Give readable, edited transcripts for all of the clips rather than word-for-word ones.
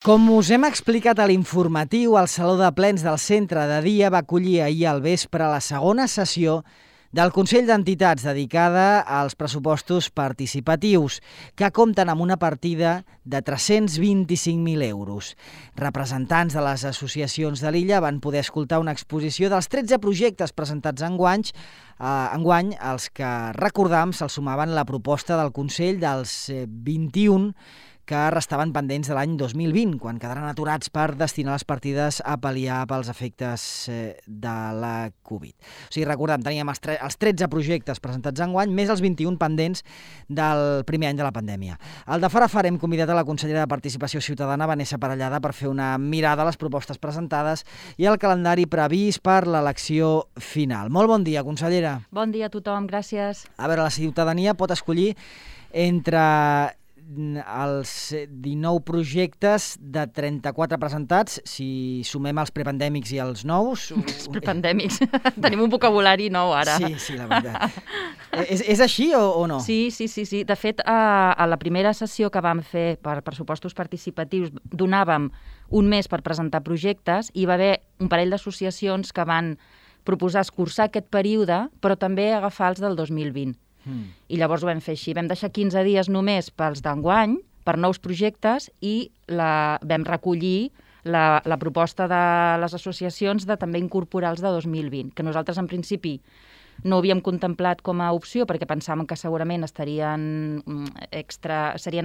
Com us hem explicat a l'informatiu, el Saló de Plens del Centre de Dia va acollir ahir al vespre la segona sessió del Consell d'Entitats dedicada als pressupostos participatius, que compten amb una partida de 325.000 euros. Representants de les associacions de l'illa van poder escoltar una exposició dels 13 projectes presentats enguany, als que, recordam, se'ls sumaven la proposta del Consell dels 21 que restaven pendents de l'any 2020, quan quedaran aturats per destinar les partides a pal·liar pels efectes de la Covid. O sigui, recordem, teníem els 13 projectes presentats enguany, més els 21 pendents del primer any de la pandèmia. Al de fara hem convidat a la consellera de Participació Ciutadana, Vanessa Parellada, per fer una mirada a les propostes presentades i al calendari previst per l'elecció final. Molt bon dia, consellera. Bon dia a tothom, gràcies. A veure, la ciutadania pot escollir entre els 19 projectes de 34 presentats, si sumem els prepandèmics i els nous. Els prepandèmics. Tenim un vocabulari nou ara. Sí, la veritat. És així o no? Sí. De fet, a la primera sessió que vam fer per pressupostos participatius donàvem un mes per presentar projectes i hi va haver un parell d'associacions que van proposar escurçar aquest període, però també agafar els del 2020. I llavors ho vam fer així. Vam deixar 15 dies només pels d'enguany, per nous projectes, i vam recollir la proposta de les associacions de també incorporar els de 2020, que nosaltres en principi no havíem contemplat com a opció perquè pensàvem que segurament serien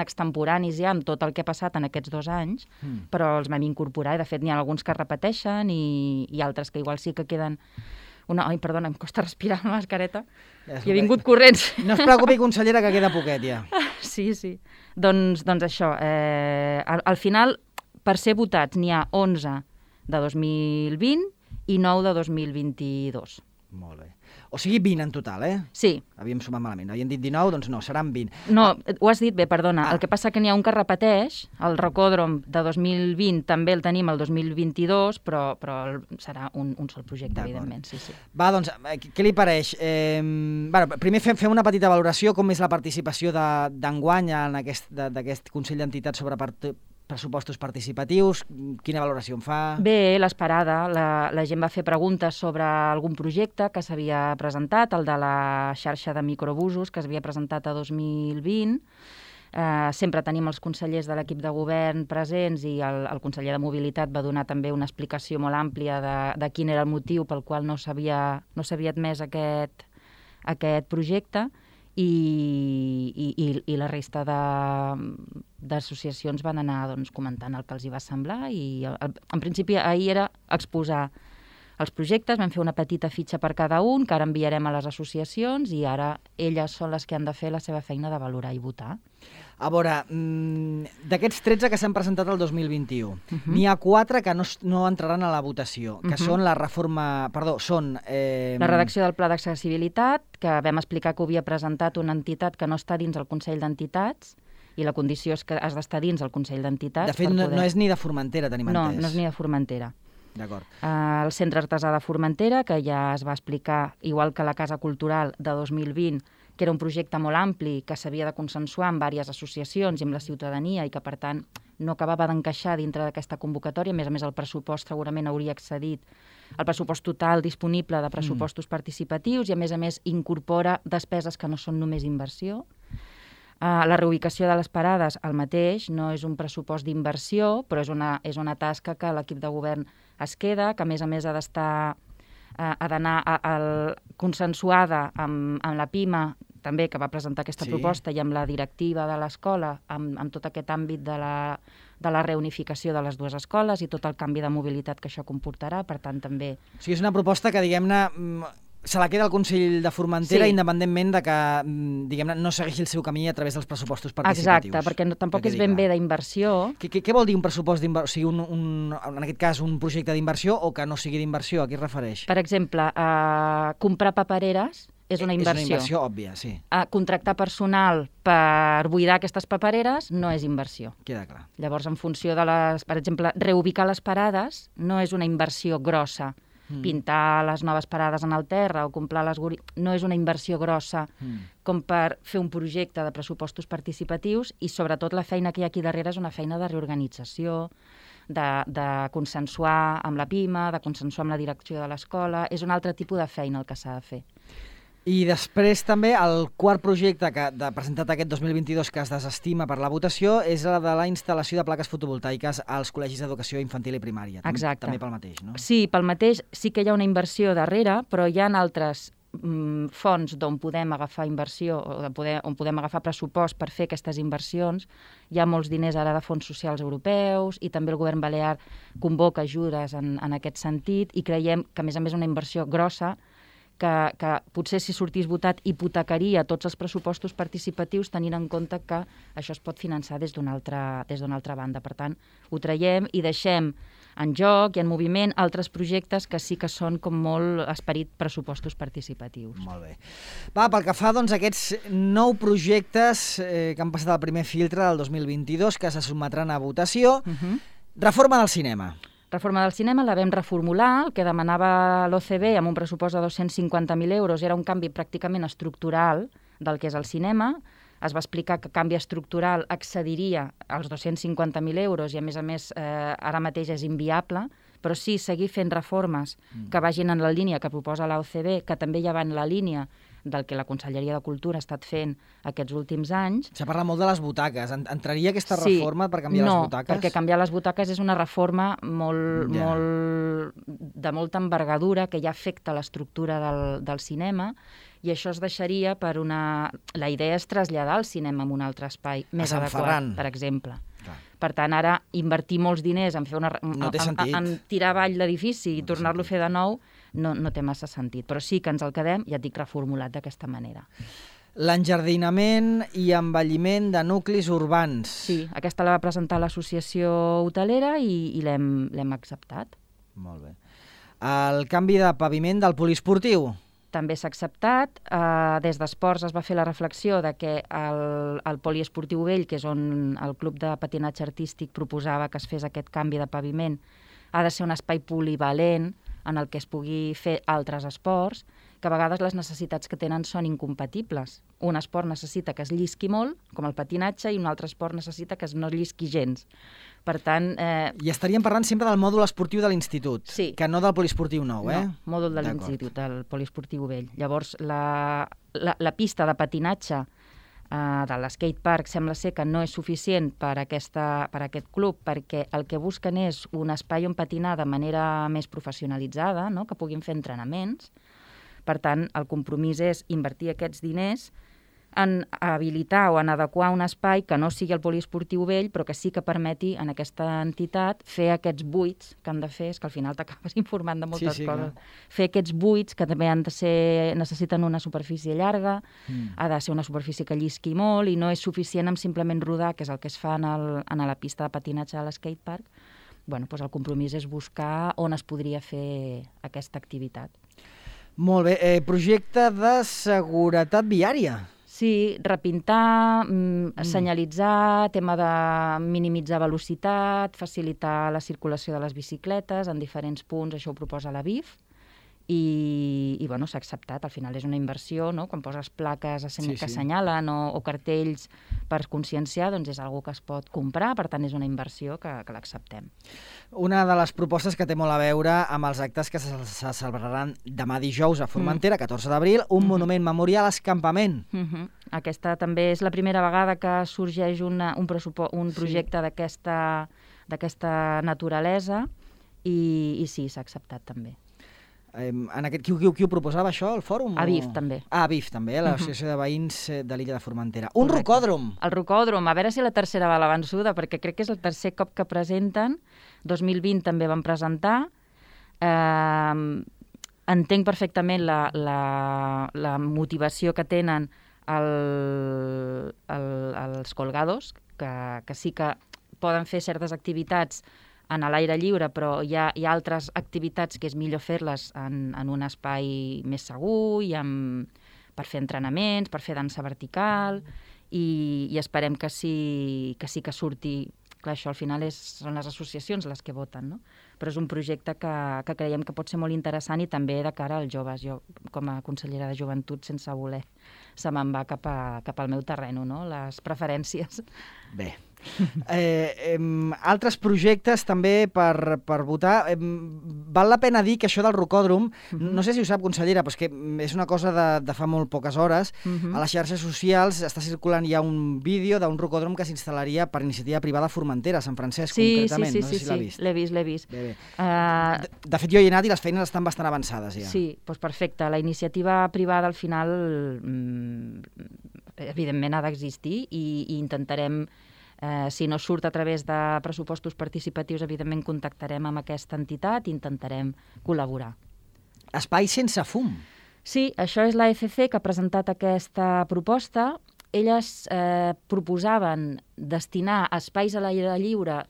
extemporanis ja amb tot el que ha passat en aquests 2 anys, però els vam incorporar i de fet n'hi ha alguns que es repeteixen i altres que igual sí que queden... Ai, perdona, em costa respirar amb la mascareta. I he vingut corrents. No es preocupi, consellera, que queda poquet ja. Sí. Doncs això, al final, per ser votats, n'hi ha 11 de 2020 i 9 de 2022. Molt bé. O sigui, 20 en total, eh? Sí. Havíem sumat malament. Havíem dit 19, doncs no, seran 20. No, ho has dit bé, perdona. El que passa que n'hi ha un que repeteix, el rocòdrom de 2020 també el tenim el 2022, però serà un sol projecte, evidentment. Sí. Va, doncs, què li pareix? Primer fem una petita valoració, com és la participació d'enguany d'aquest Consell d'Entitats sobre pressupostos participatius, quina valoració en fa? Bé, l'esperada. La gent va fer preguntes sobre algun projecte que s'havia presentat, el de la xarxa de microbusos que s'havia presentat a 2020. Sempre tenim els consellers de l'equip de govern presents i el conseller de Mobilitat va donar també una explicació molt àmplia de quin era el motiu pel qual no s'havia admès aquest projecte. I la resta d'associacions van anar comentant el que els hi va semblar i en principi ahir era exposar els projectes, vam fer una petita fitxa per cada un que ara enviarem a les associacions i ara elles són les que han de fer la seva feina de valorar i votar. A veure, d'aquests 13 que s'han presentat el 2021, n'hi ha 4 que no entraran a la votació, que són la redacció del Pla d'Accessibilitat, que vam explicar que ho havia presentat una entitat que no està dins el Consell d'Entitats, i la condició és que has d'estar dins el Consell d'Entitats. De fet, no és ni de Formentera, tenim entès. No és ni de Formentera. D'acord. El Centre Artesà de Formentera, que ja es va explicar, igual que la Casa Cultural de 2020, que era un projecte molt ampli, que s'havia de consensuar amb diverses associacions i amb la ciutadania i que, per tant, no acabava d'encaixar dintre d'aquesta convocatòria. A més, el pressupost segurament hauria excedit el pressupost total disponible de pressupostos participatius i, a més, incorpora despeses que no són només inversió. La reubicació de les parades, el mateix, no és un pressupost d'inversió, però és una tasca que l'equip de govern es queda, que, a més, ha d'anar consensuada amb la PIMA, també, que va presentar aquesta proposta, i amb la directiva de l'escola, amb tot aquest àmbit de la reunificació de les dues escoles i tot el canvi de mobilitat que això comportarà, per tant, també... O sigui, és una proposta que, diguem-ne, se la queda el Consell de Formentera independentment de que, diguem-ne, no segueixi el seu camí a través dels pressupostos participatius. Exacte, perquè tampoc és ben bé d'inversió. Què vol dir un pressupost d'inversió? O sigui, en aquest cas, un projecte d'inversió o que no sigui d'inversió? A què es refereix? Per exemple, comprar papereres és una inversió. És una inversió òbvia, sí. Contractar personal per buidar aquestes papereres no és inversió. Queda clar. Llavors, en funció de per exemple, reubicar les parades no és una inversió grossa. Pintar les noves parades en el terra o comprar les no és una inversió grossa com per fer un projecte de pressupostos participatius, i sobretot la feina que hi ha aquí darrere és una feina de reorganització, de consensuar amb la PIMA, de consensuar amb la direcció de l'escola. És un altre tipus de feina el que s'ha de fer. I després també el quart projecte presentat aquest 2022 que es desestima per la votació és la de la instal·lació de plaques fotovoltaiques als col·legis d'educació infantil i primària. Exacte. També pel mateix, no? Sí, pel mateix sí que hi ha una inversió darrere, però hi ha altres fons d'on podem agafar inversió, on podem agafar pressupost per fer aquestes inversions. Hi ha molts diners ara de fons socials europeus i també el govern balear convoca ajudes en aquest sentit, i creiem que, a més, una inversió grossa que potser, si sortís votat, hipotecaria tots els pressupostos participatius, tenint en compte que això es pot finançar des d'una altra banda. Per tant, ho traiem i deixem en joc i en moviment altres projectes que sí que són com molt esperit pressupostos participatius. Molt bé. Va, pel que fa doncs, a aquests 9 projectes que han passat al primer filtre del 2022, que se sotmetran a votació, reforma del cinema. Reforma del cinema la vam reformular. El que demanava l'OCB amb un pressupost de 250.000 euros era un canvi pràcticament estructural del que és el cinema. Es va explicar que canvi estructural excediria als 250.000 euros i, a més, ara mateix és inviable, però sí seguir fent reformes que vagin en la línia que proposa l'OCB, que també ja va en la línia del que la Conselleria de Cultura ha estat fent aquests últims anys. S'ha parlat molt de les butaques. Entraria aquesta reforma per canviar les butaques? No, perquè canviar les butaques és una reforma de molta envergadura que ja afecta l'estructura del cinema, i això es deixaria per una... La idea és traslladar el cinema a un altre espai més adequat, per exemple. Per tant, ara invertir molts diners en fer en tirar avall l'edifici i tornar-lo a fer de nou no té massa sentit. Però sí que ens el quedem, ja et dic, reformulat d'aquesta manera. L'enjardinament i embelliment de nuclis urbans. Sí, aquesta la va presentar l'associació hotelera i l'hem acceptat. Molt bé. El canvi de paviment del poliesportiu. També s'ha acceptat. Des d'Esports es va fer la reflexió de que el poliesportiu vell, que és on el Club de Patinatge Artístic proposava que es fes aquest canvi de paviment, ha de ser un espai polivalent en el que es pugui fer altres esports, que a vegades les necessitats que tenen són incompatibles. Un esport necessita que es llisqui molt, com el patinatge, i un altre esport necessita que no es llisqui gens. Per tant... I estaríem parlant sempre del mòdul esportiu de l'institut, sí, que no del poliesportiu nou, eh? No, mòdul de l'institut, del poliesportiu vell. Llavors, la pista de patinatge de l'skatepark sembla ser que no és suficient per aquest club, perquè el que busquen és un espai on patinar de manera més professionalitzada, no? Que puguin fer entrenaments. Per tant, el compromís és invertir aquests diners en habilitar o en adequar un espai que no sigui el poliesportiu vell, però que sí que permeti en aquesta entitat fer aquests buits que han de fer, és que al final t'acabes informant de moltes coses. Clar. Fer aquests buits que també necessiten una superfície llarga, ha de ser una superfície que llisqui molt, i no és suficient amb simplement rodar, que és el que es fa en la pista de patinatge de l'skatepark. Bueno, doncs el compromís és buscar on es podria fer aquesta activitat. Molt bé. Projecte de seguretat viària. Sí, repintar, senyalitzar, tema de minimitzar velocitat, facilitar la circulació de les bicicletes en diferents punts, això ho proposa la BIF, i bueno, s'ha acceptat. Al final és una inversió, no? Quan poses plaques que assenyalen o cartells per conscienciar, doncs és una que es pot comprar, per tant és una inversió que l'acceptem. Una de les propostes que té molt a veure amb els actes que se celebraran demà dijous a Formentera, 14 d'abril, un monument memorial escampament. Aquesta també és la primera vegada que sorgeix un projecte d'aquesta naturalesa, i sí, s'ha acceptat també. Qui ho proposava, això, el fòrum? ABIF, també. ABIF, també, l'Associació de Veïns de l'illa de Formentera. Un rocòdrom! El rocòdrom, a veure si la tercera va a l'avançuda, perquè crec que és el tercer cop que presenten. 2020 també van presentar. Entenc perfectament la motivació que tenen els colgados, que sí que poden fer certes activitats en l'aire lliure, però hi ha altres activitats que és millor fer-les en un espai més segur, per fer entrenaments, per fer dansa vertical, i esperem que sí que surti clar, això al final són les associacions les que voten, no? Però és un projecte que creiem que pot ser molt interessant i també de cara als joves. Jo, com a consellera de joventut, sense voler, se me'n va cap al meu terreno, no? Les preferències. Bé. Altres projectes també per votar. Val la pena dir que això del rocòdrom, no sé si ho sap, consellera, però és que és una cosa de fa molt poques hores. A les xarxes socials està circulant ja un vídeo d'un rocòdrom que s'instal·laria per iniciativa privada a Formentera, a Sant Francesc, concretament. No sé si l'ha vist. L'he vist. Bé. De fet, jo hi he anat i les feines estan bastant avançades ja. Sí, doncs perfecte. La iniciativa privada al final evidentment ha d'existir i intentarem, si no surt a través de pressupostos participatius, evidentment contactarem amb aquesta entitat i intentarem col·laborar. Espai sense fum. Sí, això és la ECC que ha presentat aquesta proposta. Elles proposaven destinar espais a l'aire lliure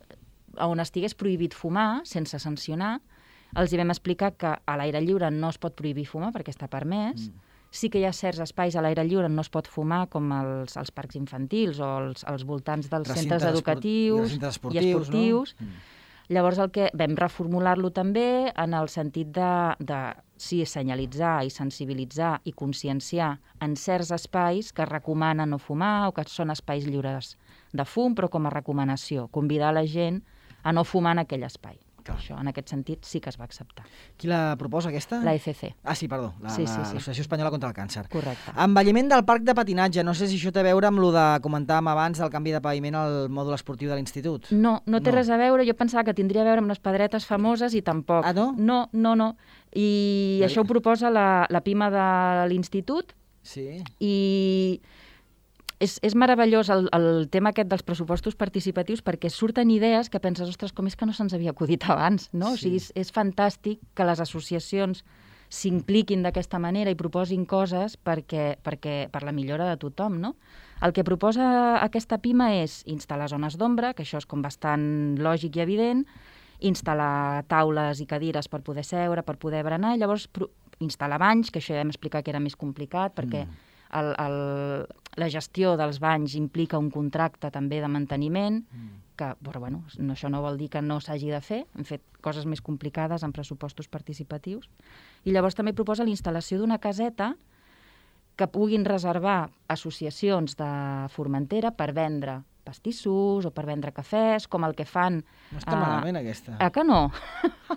on estigués prohibit fumar, sense sancionar. Els hi vam explicar que a l'aire lliure no es pot prohibir fumar perquè està permès. Sí que hi ha certs espais a l'aire lliure on no es pot fumar, com els parcs infantils o als voltants dels centres educatius i esportius. No? Llavors el que vam reformular-lo també en el sentit de sí, senyalitzar i sensibilitzar i conscienciar en certs espais que recomanen no fumar o que són espais lliures de fum, però com a recomanació, convidar la gent a no fumar en aquell espai. Clar. Això, en aquest sentit, sí que es va acceptar. Qui la proposa, aquesta? La ECC. Ah, sí, perdó, l'Associació Espanyola contra el Càncer. Correcte. Envelliment del parc de patinatge. No sé si això té a veure amb el de comentàvem abans del canvi de paviment al mòdul esportiu de l'institut. No té res a veure. Jo pensava que tindria a veure amb les pedretes famoses i tampoc. Ah, no? No. I això ho proposa la PIMA de l'institut. Sí. I és meravellós el tema aquest dels pressupostos participatius perquè surten idees que penses, ostres, com és que no se'ns havia acudit abans, no? Sí. O sigui, és fantàstic que les associacions s'impliquin d'aquesta manera i proposin coses per la millora de tothom, no? El que proposa aquesta PIMA és instal·lar zones d'ombra, que això és com bastant lògic i evident, instal·lar taules i cadires per poder seure, per poder berenar, i llavors instal·lar banys, que això ja vam explicar que era més complicat, perquè la gestió dels banys implica un contracte també de manteniment, que, però bueno, això no vol dir que no s'hagi de fer. Hem fet coses més complicades en pressupostos participatius. I llavors també proposa la instal·lació d'una caseta que puguin reservar associacions de Formentera per vendre pastissos o per vendre cafès, com el que fan... No està malament, aquesta. Que no?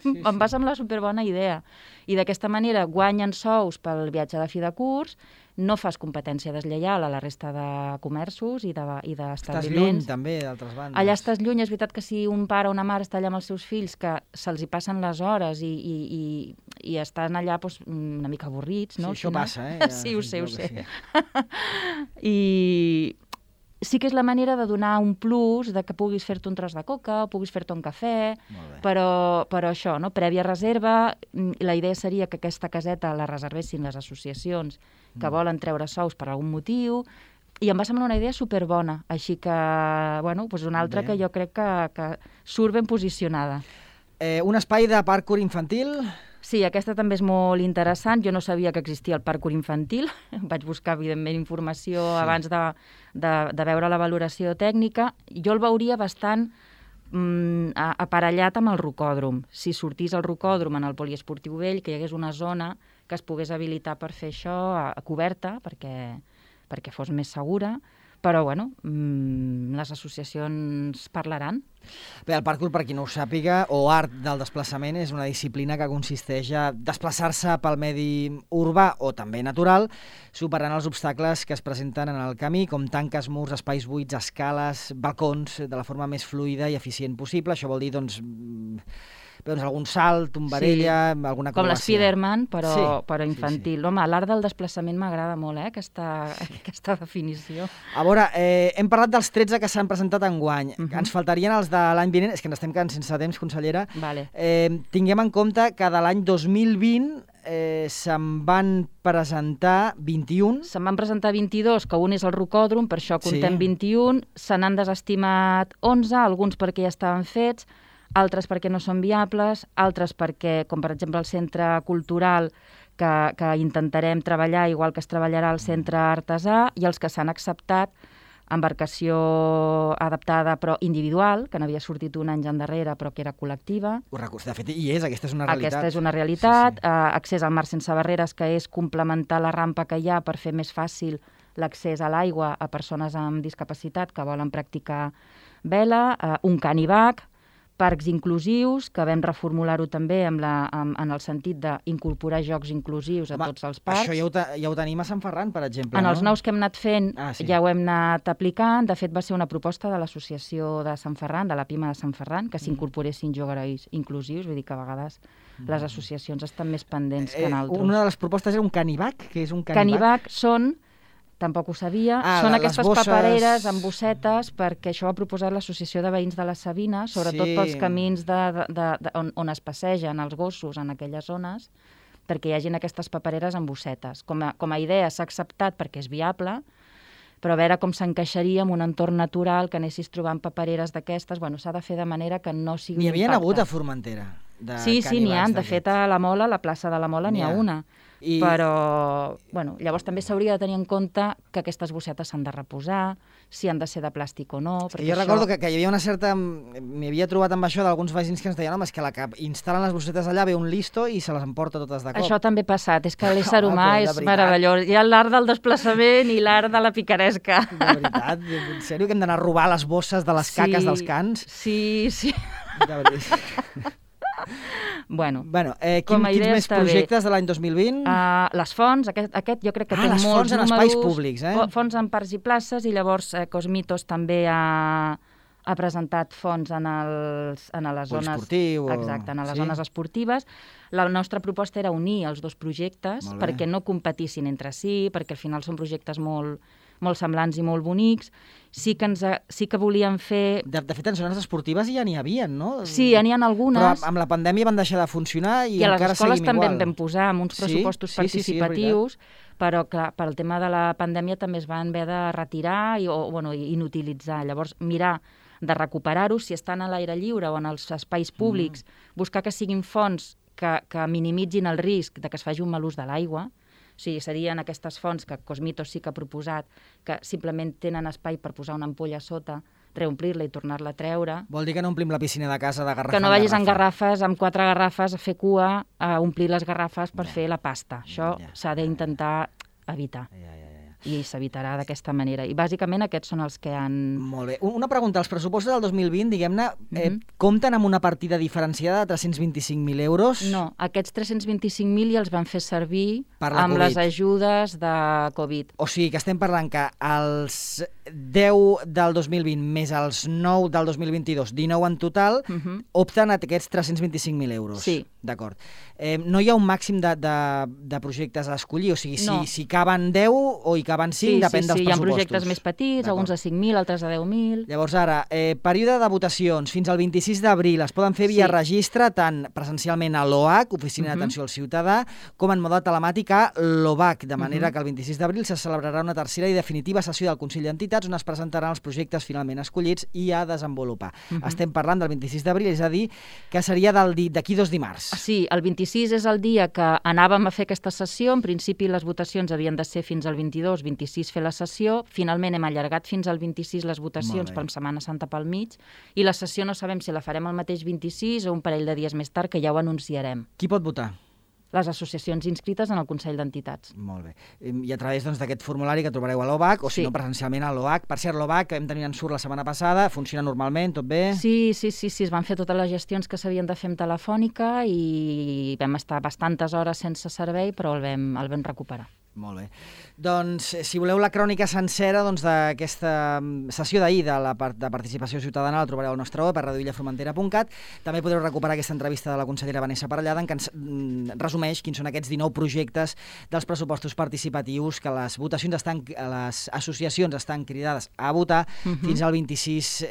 Sí. Em va semblar superbona idea. I d'aquesta manera guanyen sous pel viatge de fi de curs, no fas competència deslleial a la resta de comerços i d'establiments. Estàs lluny, també, d'altres bandes. Allà estàs lluny. És veritat que si un pare o una mare està allà amb els seus fills, que se'ls hi passen les hores i estan allà doncs, una mica avorrits, no? Sí, això passa, eh? Sí, ho sé. I sí que és la manera de donar un plus de que puguis fer-te un tros de coca o puguis fer-te un cafè, però això, no? Prèvia reserva. La idea seria que aquesta caseta la reservessin les associacions que volen treure sous per algun motiu, i em va semblar una idea superbona, així que, bueno, doncs una altra que jo crec que surt ben posicionada. Un espai de parkour infantil? Sí, aquesta també és molt interessant. Jo no sabia que existia el parkour infantil. Vaig buscar, evidentment, informació abans de veure la valoració tècnica. Jo el veuria bastant aparellat amb el rocòdrom. Si sortís el rocòdrom en el poliesportiu vell, que hi hagués una zona que es pogués habilitar per fer això coberta, perquè fos més segura. Però, bueno, les associacions parlaran. Bé, el parkour, per qui no ho sàpiga, o art del desplaçament, és una disciplina que consisteix a desplaçar-se pel medi urbà o també natural, superant els obstacles que es presenten en el camí, com tanques, murs, espais buits, escales, balcons, de la forma més fluida i eficient possible. Això vol dir, doncs algun salt, tombarella, alguna acrobàcia. Com l'Spiderman, però infantil. Home, l'art del desplaçament m'agrada molt, aquesta definició. A veure, hem parlat dels 13 que s'han presentat enguany. Ens faltarien els de l'any vinent. És que ens estem quedant sense temps, consellera. Vale. Tinguem en compte que de l'any 2020 se'n van presentar 21. Se'n van presentar 22, que un és el rocòdrom, per això contem 21. Se n'han desestimat 11, alguns perquè ja estaven fets, altres perquè no són viables, altres perquè, com per exemple el centre cultural, que intentarem treballar igual que es treballarà al centre artesà, i els que s'han acceptat embarcació adaptada però individual, que n'havia sortit un any endarrere però que era col·lectiva. De fet, aquesta és una realitat. Aquesta és una realitat. Accés al mar sense barreres, que és complementar la rampa que hi ha per fer més fàcil l'accés a l'aigua a persones amb discapacitat que volen practicar vela, un canivac, parcs inclusius, que vam reformular-ho també en el sentit d'incorporar jocs inclusius a tots els parcs. Això ja ho tenim a Sant Ferran, per exemple, En els nous que hem anat fent ja ho hem anat aplicant. De fet, va ser una proposta de l'associació de Sant Ferran, de la PIMA de Sant Ferran, que s'incorporessin jocs inclusius. Vull dir que a vegades les associacions estan més pendents que en altres. Una de les propostes era un canivac? Què és un canivac? Canivac són... Tampoc ho sabia. Són aquestes papereres amb bossetes, perquè això ho ha proposat l'Associació de Veïns de la Sabina, sobretot pels camins on es passegen els gossos en aquelles zones, perquè hi hagin aquestes papereres amb bossetes. Com a idea s'ha acceptat perquè és viable, però a veure com s'encaixaria en un entorn natural, que anessis trobant papereres d'aquestes. Bueno, s'ha de fer de manera que no sigui un impacte. N'hi havia hagut a Formentera? Sí, n'hi ha. De fet, a la Mola, a la plaça de la Mola, n'hi ha una. Però, llavors també s'hauria de tenir en compte que aquestes bossetes s'han de reposar, si han de ser de plàstic o no. Jo recordo que hi havia una certa... M'hi havia trobat amb això d'alguns veïns que ens deien és que la que instal·len les bossetes allà ve un listo i se les emporta totes de cop. Això també ha passat, és que l'ésser humà és meravellós. Hi ha l'art del desplaçament i l'art de la picaresca. De veritat, en sèrio que hem d'anar a robar les bosses de les caques dels cans? Sí. De veritat. Quins més projectes de l'any 2020? Les fonts, aquest jo crec que té molts números. Les fonts en espais públics, Fonts en parcs i places, i llavors Cosmitos també ha presentat fonts en les zones... Esportiu. Exacte, en les zones esportives. La nostra proposta era unir els dos projectes perquè no competissin entre si, perquè al final són projectes molt semblants i molt bonics. Sí que volíem fer... De fet, en zones esportives ja n'hi havia, no? Sí, ja n'hi ha algunes. Però amb la pandèmia van deixar de funcionar i encara seguim igual. I a les escoles també en vam posar amb uns pressupostos participatius, però clar, per al tema de la pandèmia també es van haver de retirar i inutilitzar. Llavors, mirar de recuperar-ho, si estan a l'aire lliure o en els espais públics, buscar que siguin fonts que minimitzin el risc de que es faci un mal ús de l'aigua. O sigui, serien aquestes fonts que Cosmitos sí que ha proposat, que simplement tenen espai per posar una ampolla a sota, reomplir-la i tornar-la a treure. Vol dir que no omplim la piscina de casa de garrafa que no vagis en garrafes, amb 4 garrafes, a fer cua, a omplir les garrafes per fer la pasta. Això s'ha d'intentar evitar. I s'evitarà d'aquesta manera. I bàsicament aquests són els que han... Molt bé. Una pregunta. Els pressupostos del 2020, diguem-ne, compten amb una partida diferenciada de 325.000 euros? No, aquests 325.000 ja els van fer servir amb les ajudes de Covid. O sigui que estem parlant que els 10 del 2020 més els 9 del 2022, 19 en total, opten a aquests 325.000 euros. Sí. D'acord. No hi ha un màxim de projectes a escollir? O sigui, si caben 10 o hi caben 5, depèn dels pressupostos. Sí, hi ha projectes més petits, alguns de 5.000, altres de 10.000. Llavors ara, període de votacions fins al 26 d'abril es poden fer via registre tant presencialment a l'OAC, Oficina d'Atenció al Ciutadà, com en mode telemàtic a l'OVAC, de manera que el 26 d'abril se celebrarà una tercera i definitiva sessió del Consell d'Entitats on es presentaran els projectes finalment escollits i a desenvolupar. Estem parlant del 26 d'abril, és a dir, que seria d'aquí 2 dimarts. Sí, el 26 és el dia que anàvem a fer aquesta sessió. En principi les votacions havien de ser fins al 22, 26 fer la sessió. Finalment hem allargat fins al 26 les votacions per Setmana Santa pel mig. I la sessió no sabem si la farem el mateix 26 o un parell de dies més tard, que ja ho anunciarem. Qui pot votar? Les associacions inscrites en el Consell d'Entitats. Molt bé. I a través d'aquest formulari que trobareu a l'OVAC, o si no presencialment a l'OVAC. Per cert, l'OVAC, que vam tenir en surt la setmana passada, funciona normalment, tot bé? Sí, es van fer totes les gestions que s'havien de fer amb telefònica i vam estar bastantes hores sense servei, però el vam recuperar. Molt bé. Doncs, si voleu la crònica sencera d'aquesta sessió d'ahir de participació ciutadana, la trobareu al nostre web a radioillaformentera.cat. També podreu recuperar aquesta entrevista de la consellera Vanessa Parellada, en què ens resumeix quins són aquests 19 projectes dels pressupostos participatius que les associacions estan cridades a votar fins al 26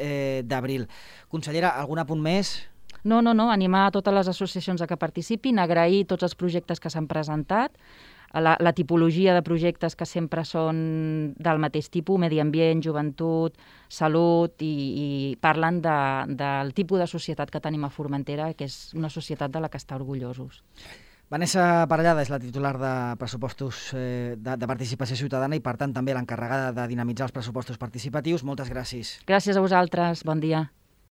d'abril. Consellera, algun apunt més? No, animar a totes les associacions a que participin, agrair tots els projectes que s'han presentat, la tipologia de projectes que sempre són del mateix tipus, medi ambient, joventut, salut, i parlen del tipus de societat que tenim a Formentera, que és una societat de la que està orgullosos. Vanessa Parellada és la titular de pressupostos de participació ciutadana i, per tant, també l'encarregada de dinamitzar els pressupostos participatius. Moltes gràcies. Gràcies a vosaltres. Bon dia.